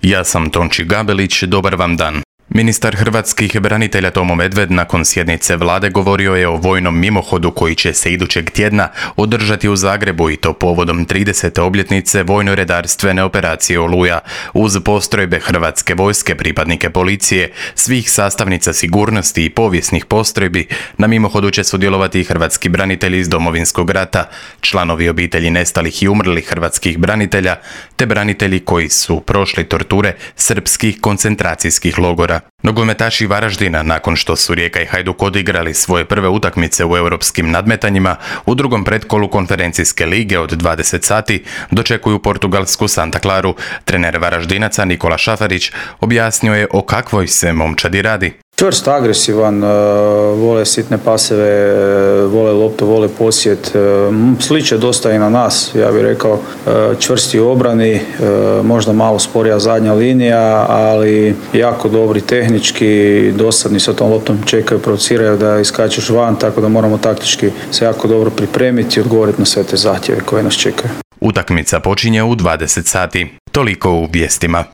Ja sam Tonči Gabelić, dobar vam dan. Ministar hrvatskih branitelja Tomo Medved nakon sjednice vlade govorio je o vojnom mimohodu koji će se idućeg tjedna održati u Zagrebu i to povodom 30. obljetnice vojno-redarstvene operacije Oluja. Uz postrojbe hrvatske vojske, pripadnike policije, svih sastavnica sigurnosti i povijesnih postrojbi, na mimohodu će sudjelovati i hrvatski branitelji iz Domovinskog rata, članovi obitelji nestalih i umrlih hrvatskih branitelja, te branitelji koji su prošli torture srpskih koncentracijskih logora. Nogometaši Varaždina, nakon što su Rijeka i Hajduk odigrali svoje prve utakmice u europskim nadmetanjima, u drugom pretkolu konferencijske lige od 20 sati dočekuju portugalsku Santa Claru. Trener Varaždinaca Nikola Šafarić objasnio je o kakvoj se momčadi radi. Čvrst, agresivan, vole sitne paseve, vole loptu, vole posjed, sliče dosta i na nas, ja bih rekao, čvrsti u obrani, možda malo sporija zadnja linija, ali jako dobri tehnički, dosadni sa tom loptom, čekaju, provociraju da iskačeš van, tako da moramo taktički se jako dobro pripremiti i odgovoriti na sve te zahtjeve koje nas čekaju. Utakmica počinje u 20 sati. Toliko u vijestima.